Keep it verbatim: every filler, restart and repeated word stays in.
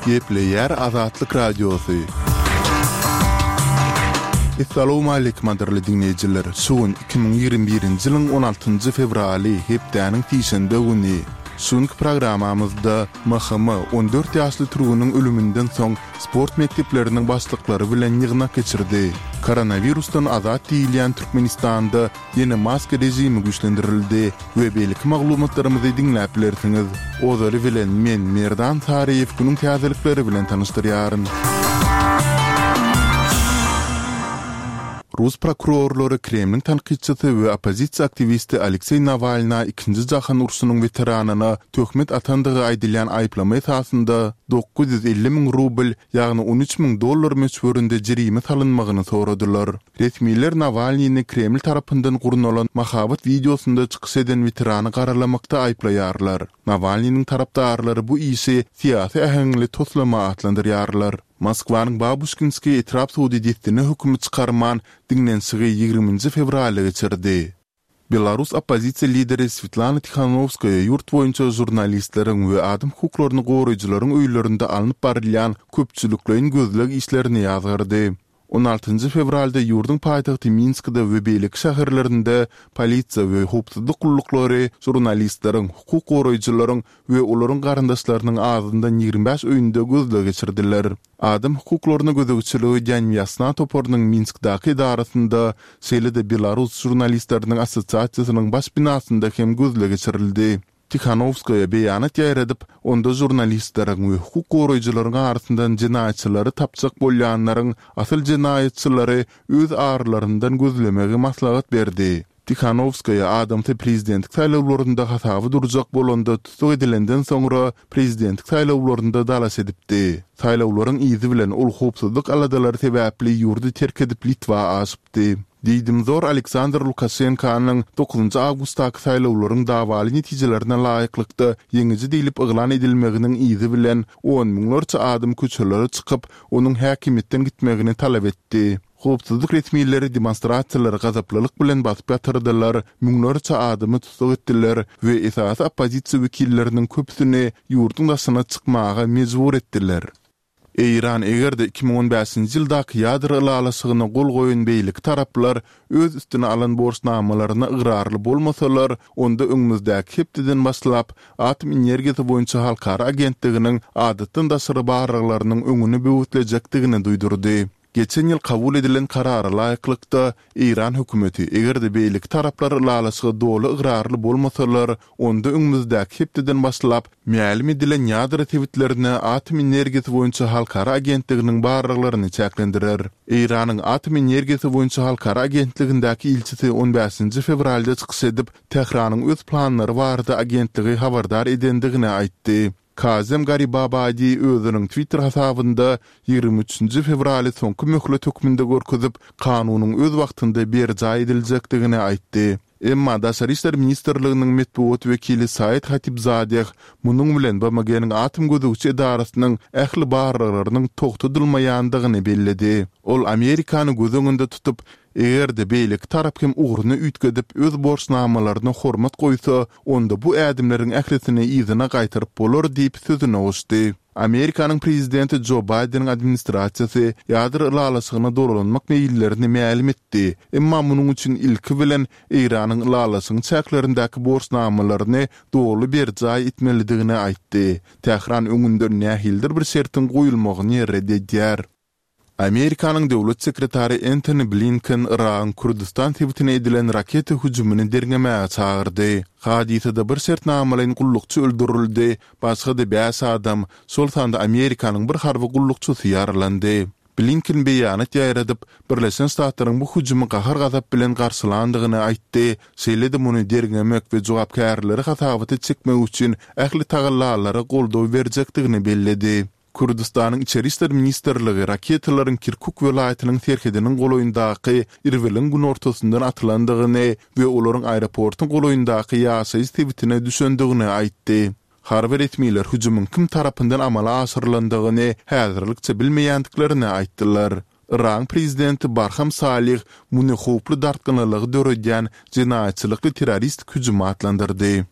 Gepleýär Azatlyk Radiosy. Essalawmaleýkim gadyrly diňleýjiler! Şu gün iki müň ýigrimi birinji ýylyň on altynjy fewraly, hepdäniň sişenbe güni. Şu günki programmamyzda M H M on dört ýaşly türgeniň ölüminden soň sport mekdepleriniň başlyklary bilen ýygnak geçirdi. Koronawirusdan azat diýilýän Türkmenistanda ýene maska režimi güýçlendirildi we beýleki maglumatlarymyzy diňläp bilersiňiz. Ozaly bilen men Merdan Saryýew günüň täzelikleri bilen tanyşdyrýaryn. Rus prokurorlary Kremliň tankytçysy we oppozisiýa aktiwisti Alekseý Nawalna Ikinji jahan urşunyň weteranyna töhmet atandygy aýdylýan aýyplama esasynda dokuz ýüz elli müň rubl, ýagny on üç müň dollar möçberinde jerime salynmagyny soradylar. Resmiler Nawalnyny Kreml tarapyndan gurnalan mahabat wideosynda çykyş eden weterany garalamakda aýyplaýarlar. Nawalnynyň tarapdarlary bu işi syýasy äheňli toslama atlandyrýarlar. Moskwanyň Babuşkinskiý etrap sudy dessine hökümi çykarman, diňlenişigi ýigriminji fewralda geçirdi. Belarus oppozisiýa lideri Swetlana Tihanowskaýa ýurt boýunça žurnalistleriň we adam hukuklaryny goraýjylaryň öýlerinde alnyp barylýan köpçülikleýin gözleg işlerini ýazgardy. On altynjy fewralda ýurduň paýtagty Minskde we beýleki şäherlerinde polisiýa we howpsuzlyk gulluklary žurnalistleriň, hukuk goraýjylaryň we olaryň garyndaşlarynyň azyndan ýigrimi bäş öýünde gözleg geçirdiler. Adam hukuklaryna gözegçilik edýän Wýasna toparynyň Minskdäki edarasynda, şeýle-de Belarus žurnalistleriniň assosiasiýasynyň baş binasynda hem gözleg geçirildi. Tihanowskaýa beýanat ýaýradyp, onda žurnalistleriň we hukuk goraýjylaryň arasyndan jenaýatçylary tapjak bolýanlaryň asyl jenaýatçylary öz aralaryndan gözlemegi maslahat berdi. Tihanowskaýa adamsy prezidentlik saýlawlarynda hasaba durjak bolanda tussag edilenden soňra prezidentlik saýlawlarynda dalaş edipdi. Saýlawlaryň yzy bilen ol howpsuzlyk aladalary sebäpli ýurdy terk edip Litwa aşypdy. Diýdimzor Aleksandr Lukaşenkanyň dokuzynjy awgustdaky saýlawlaryň dawaly netijelerine laýyklykda ýeňiji diýlip yglan edilmeginiň yzy bilen on müňlerçe adam köçelere çykyp, onuň häkimiýetden gitmegini talap etdi. Howpsuzlyk resmileri demonstrasiýalary gazaplylyk bilen basyp ýatyrdylar, müňlerçe adamy tussag etdiler we esasy oppozisiýa wekilleriniň köpüsini ýurduň daşyna çykmaga mejbur etdiler. Eýran eger-de iki müň on bäşinji ýyldaky ýadro ylalaşygyna gol goýan beýleki taraplar öz üstüne alan borçnamalaryna ygrarly bolmasalar, onda öňümizdäki hepdeden başlap Atom energiýasy boýunça halkara agentliginiň adatdan daşary barlaglarynyň öňüni böwetlejekdigini duýdurdy. Geçen ýyl kabul edilen karara laýyklykda, Eýran hökümeti eger-de beýleki taraplar ylalaşyga doly ygrarly bolmasalar, onda öňümizdäki hepdeden başlap mälim edilen ýadro sebitlerine Atom energiýasy boýunça halkara agentliginiň barlaglaryny çäklendirer. Eýranyň Atom energiýasy boýunça halkara agentligindäki ilçisi on bäşinji fewralda çykyş edip, Tähranyň öz planlary barada agentligi habardar edendigini aýtdy. Kazem Garibabadi özüniň Twitter hasabynda ýigrimi üçünji fewraly soňky möhlet hökmünde görkezip, kanunyň öz wagtynda berjaý ediljekdigini aýtdy. Emma Daşary işler ministrliginiň metbugat wekili Said Hatibzadeh munuň bilen B M G-niň atom gözegçi edarasynyň ähli barlaglarynyň togtadylmaýandygyny belledi. Ol Amerikany göz öňünde tutup, eger-de beýleki tarap hem ugruny üýtgedip öz borçnamalaryna hormat goýsa, onda bu ädimleriň ählisini yzyna gaýtaryp bolar diýip sözüne goşdy. Amerikanyň prezidenti Jo Baýdeniň administrasiýasy ýadro ylalaşygyna dolanmak meýillerini mälim etdi, emma munuň üçin ilki bilen Eýranyň ylalaşygyň çäklerindäki borçnamalaryny doly berjaý etmelidigini aýtdy. Tähran öňünden nähilidir bir şertiň goýulmagyny red edýär. Amerikanyň döwlet sekretary Entoni Blinken Yragyň Kürdüstan sebitine edilen raketa hüjümini derňemäge çagyrdy. Hadysada bir şertnamalaýyn gullukçy öldürildi, başga-da bäş adam, şol sanda Amerikanyň bir harby gullukçysy ýaralandy. Blinken beýanat ýaýradyp, Birleşen Ştatlaryň bu hüjümi gahar-gazap bilen garşylandygyny aýtdy, şeýle-de muny derňemek we jogapkärleri hasabata çekmek üçin ähli tagallalara goldaw berjekdigini belledi. Kürdüstanyň Içeri işler ministrligi raketalaryň Kirkuk welaýatynyň serhediniň golaýyndaky Irbiliň günortasyndan atylandygyny we olaryň aeroportuň golaýyndaky ýaşaýyş sebitine düşendigini aýtdy. Harby resmiler hüjümiň kim tarapyndan amala aşyrylandygyny häzirlikçe bilmeýändiklerini aýtdylar. Yragyň prezidenti Barham Salih muny howply dartgynlylygy döredýän jenaýatçylykly terroristik hüjüm atlandyrdy.